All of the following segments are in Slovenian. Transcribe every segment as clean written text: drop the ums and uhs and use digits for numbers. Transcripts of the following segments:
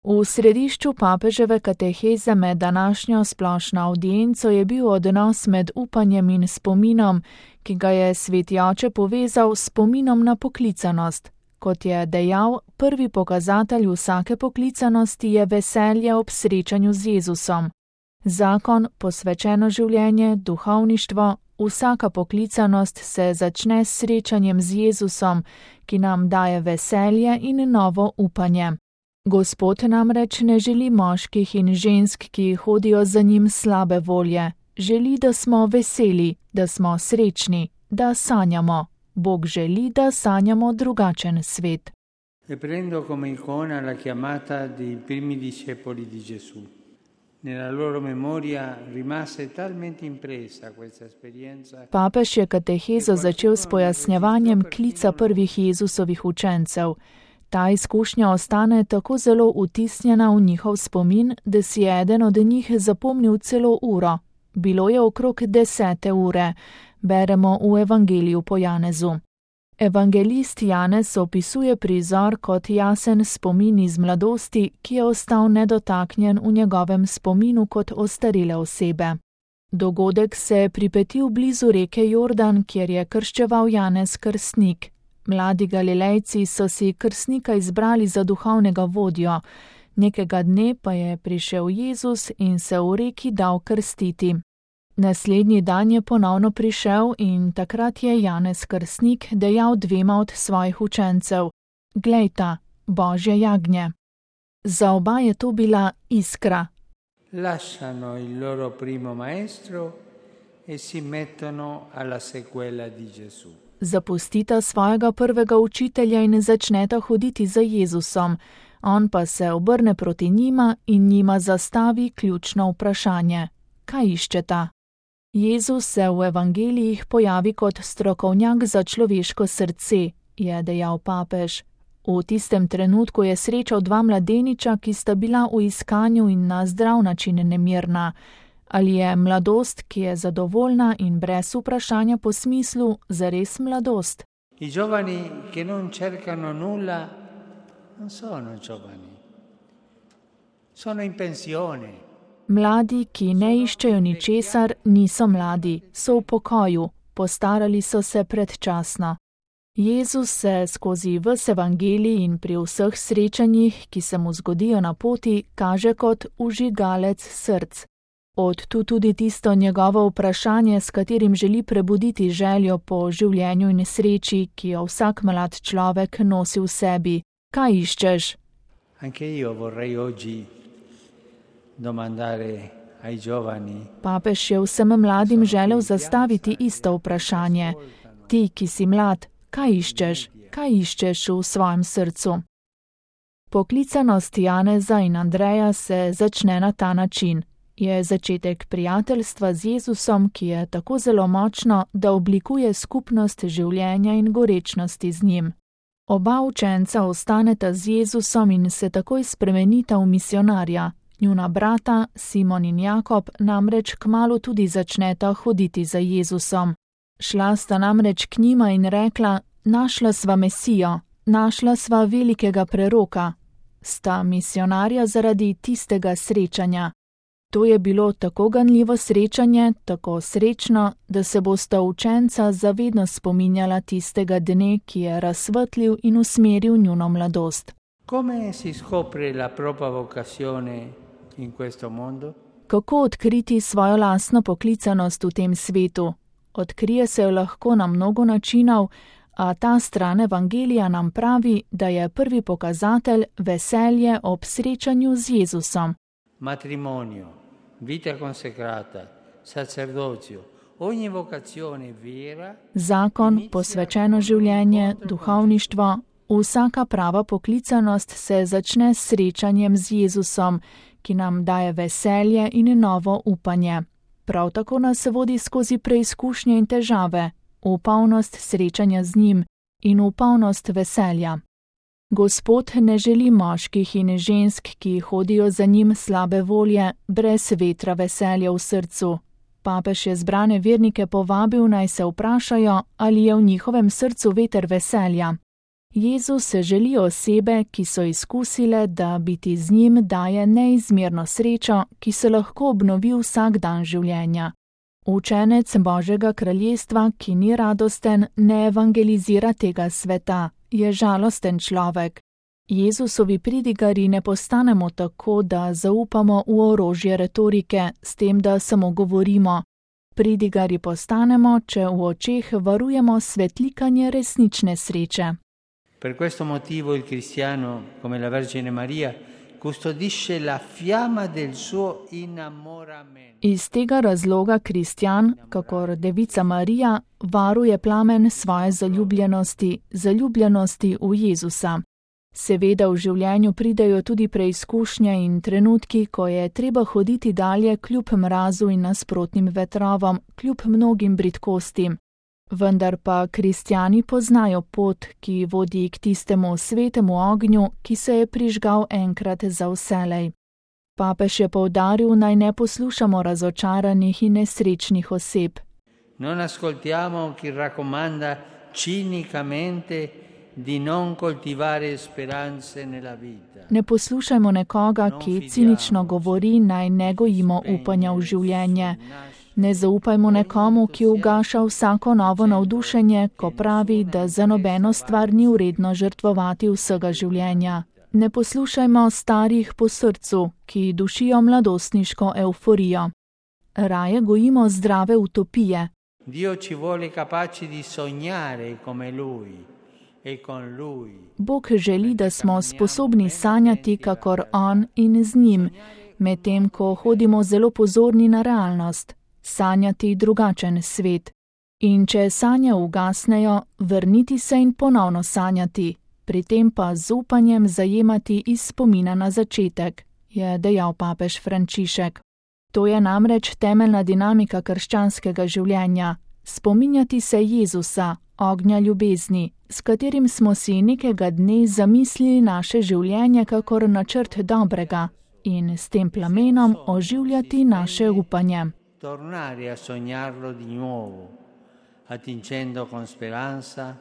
V središču papeževe kateheze med današnjo splošno avdienco je bil odnos med upanjem in spominom, ki ga je sveti oče povezal s spominom na poklicanost. Kot je dejal, prvi pokazatelj vsake poklicanosti je veselje ob srečanju z Jezusom. Zakon, posvečeno življenje, duhovništvo, vsaka poklicanost se začne s srečanjem z Jezusom, ki nam daje veselje in novo upanje. Gospod namreč ne želi moških in žensk, ki hodijo za njim slabe volje. Želi, da smo veseli, da smo srečni, da sanjamo. Bog želi, da sanjamo drugačen svet. E prendo come icona la chiamata dei primi discepoli di Gesù. Nella loro memoria rimase talmente impressa questa esperienza. Papež je katehezo začel s pojasnjevanjem klica prvih Jezusovih učencev. Ta izkušnja ostane tako zelo vtisnjena v njihov spomin, da si je eden od njih zapomnil celo uro. Bilo je okrog 10. ure, beremo v Evangeliju po Janezu. Evangelist Janez opisuje prizor kot jasen spomin iz mladosti, ki je ostal nedotaknjen v njegovem spominu kot ostarele osebe. Dogodek se je pripetil blizu reke Jordan, kjer je krščeval Janez Krstnik. Mladi Galilejci so si krstnika izbrali za duhovnega vodjo. Nekega dne pa je prišel Jezus in se v reki dal krstiti. Naslednji dan je ponovno prišel in takrat je Janez Krstnik dejal dvema od svojih učencev: Glejta, Božje jagnje. Za oba je to bila iskra. Lasciano il loro primo maestro e si mettono alla sequela di Gesù. Zapustita svojega prvega učitelja in začneta hoditi za Jezusom. On pa se obrne proti njima in njima zastavi ključno vprašanje: kaj iščeta? Jezus se v evangelijih pojavi kot strokovnjak za človeško srce, je dejal papež. V tistem trenutku je srečal dva mladeniča, ki sta bila v iskanju in na zdrav način nemirna. Ali je mladost, ki je zadovoljna in brez vprašanja po smislu, zares mladost? I giovani che non cercano nulla non sono giovani. Sono in pensione. Mladi, ki ne iščejo ničesar, niso mladi, so v pokoju, postarali so se predčasno. Jezus se skozi ves evangelij in pri vseh srečanjih, ki se mu zgodijo na poti, kaže kot vžigalec src. Od tu tudi tisto njegovo vprašanje, s katerim želi prebuditi željo po življenju in sreči, ki jo vsak mlad človek nosi v sebi. Kaj iščeš? Anche io vorrei oggi domandare ai giovani. Papež je vsem mladim želel zastaviti isto vprašanje. Ti, ki si mlad, kaj iščeš? Kaj iščeš v svojem srcu? Poklicanost Janeza in Andreja se začne na ta način. Je začetek prijateljstva z Jezusom, ki je tako zelo močno, da oblikuje skupnost življenja in gorečnosti z njim. Oba učenca ostaneta z Jezusom in se takoj spremenita v misionarja. Njuna brata, Simon in Jakob, namreč kmalu tudi začneta hoditi za Jezusom. Šla sta namreč k njima in rekla: našla sva Mesijo, našla sva velikega preroka. Sta misionarja zaradi tistega srečanja. To je bilo tako ganljivo srečanje, tako srečno, da se bosta učenca zavedno spominjala tistega dne, ki je razsvetlil in usmeril njuno mladost. Come si scopre la propria vocazione in questo mondo? Kako odkriti svojo lastno poklicanost v tem svetu? Odkrije se jo lahko na mnogo načinov, a ta stran evangelija nam pravi, da je prvi pokazatelj veselje ob srečanju z Jezusom. Matrimonio, vita consecrata, sacerdozio, ogni vocazione vera. Zakon, posvečeno življenje, duhovništvo, vsaka prava poklicanost se začne s srečanjem z Jezusom, ki nam daje veselje in novo upanje. Prav tako nas vodi skozi preizkušnje in težave, v polnost srečanja z njim in v polnost veselja. Gospod ne želi moških in žensk, ki hodijo za njim slabe volje, brez vetra veselja v srcu. Papež je zbrane vernike povabil, naj se vprašajo, ali je v njihovem srcu veter veselja. Jezus želi osebe, ki so izkusile, da biti z njim daje neizmerno srečo, ki se lahko obnovi vsak dan življenja. Učenec Božjega kraljestva, ki ni radosten, ne evangelizira tega sveta, je žalosten človek. Jezusovi pridigari ne postanemo tako, da zaupamo v orožje retorike, s tem, da samo govorimo. Pridigari postanemo, če v očeh varujemo svetlikanje resnične sreče. Per questo motivo il cristiano, come la Vergine Maria, custodisce la fiamma del suo innamoramento. Iz tega razloga kristjan, kakor Devica Marija, varuje plamen svoje zaljubljenosti v Jezusa. Seveda v življenju pridejo tudi preizkušnje in trenutki, ko je treba hoditi dalje kljub mrazu in nasprotnim vetrovom, kljub mnogim bridkostim. Vendar pa kristjani poznajo pot, ki vodi k tistemu svetemu ognju, ki se je prižgal enkrat za vselej. Papež je poudaril, naj ne poslušamo razočaranih in nesrečnih oseb. Non ascoltiamo chi raccomanda cinicamente di non coltivare speranze nella vita. Ne poslušajmo nekoga, ki cinično govori, naj ne gojimo upanja v življenje. Ne zaupajmo nekomu, ki ugaša vsako novo navdušenje, ko pravi, da za nobeno stvar ni vredno žrtvovati vsega življenja. Ne poslušajmo starih po srcu, ki dušijo mladostniško euforijo. Raje gojimo zdrave utopije. Dio ci vuole capaci di sognare come lui e con lui. Bog želi, da smo sposobni sanjati kakor on in z njim, medtem ko hodimo zelo pozorni na realnost. Sanjati drugačen svet. In če sanje ugasnejo, vrniti se in ponovno sanjati, pri tem pa z upanjem zajemati iz spomina na začetek, je dejal papež Frančišek. To je namreč temeljna dinamika krščanskega življenja. Spominjati se Jezusa, ognja ljubezni, s katerim smo si nekega dne zamislili naše življenje kakor načrt dobrega in s tem plamenom oživljati naše upanje. Tornare a sognarlo di nuovo, attingendo con speranza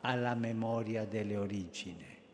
alla memoria delle origini.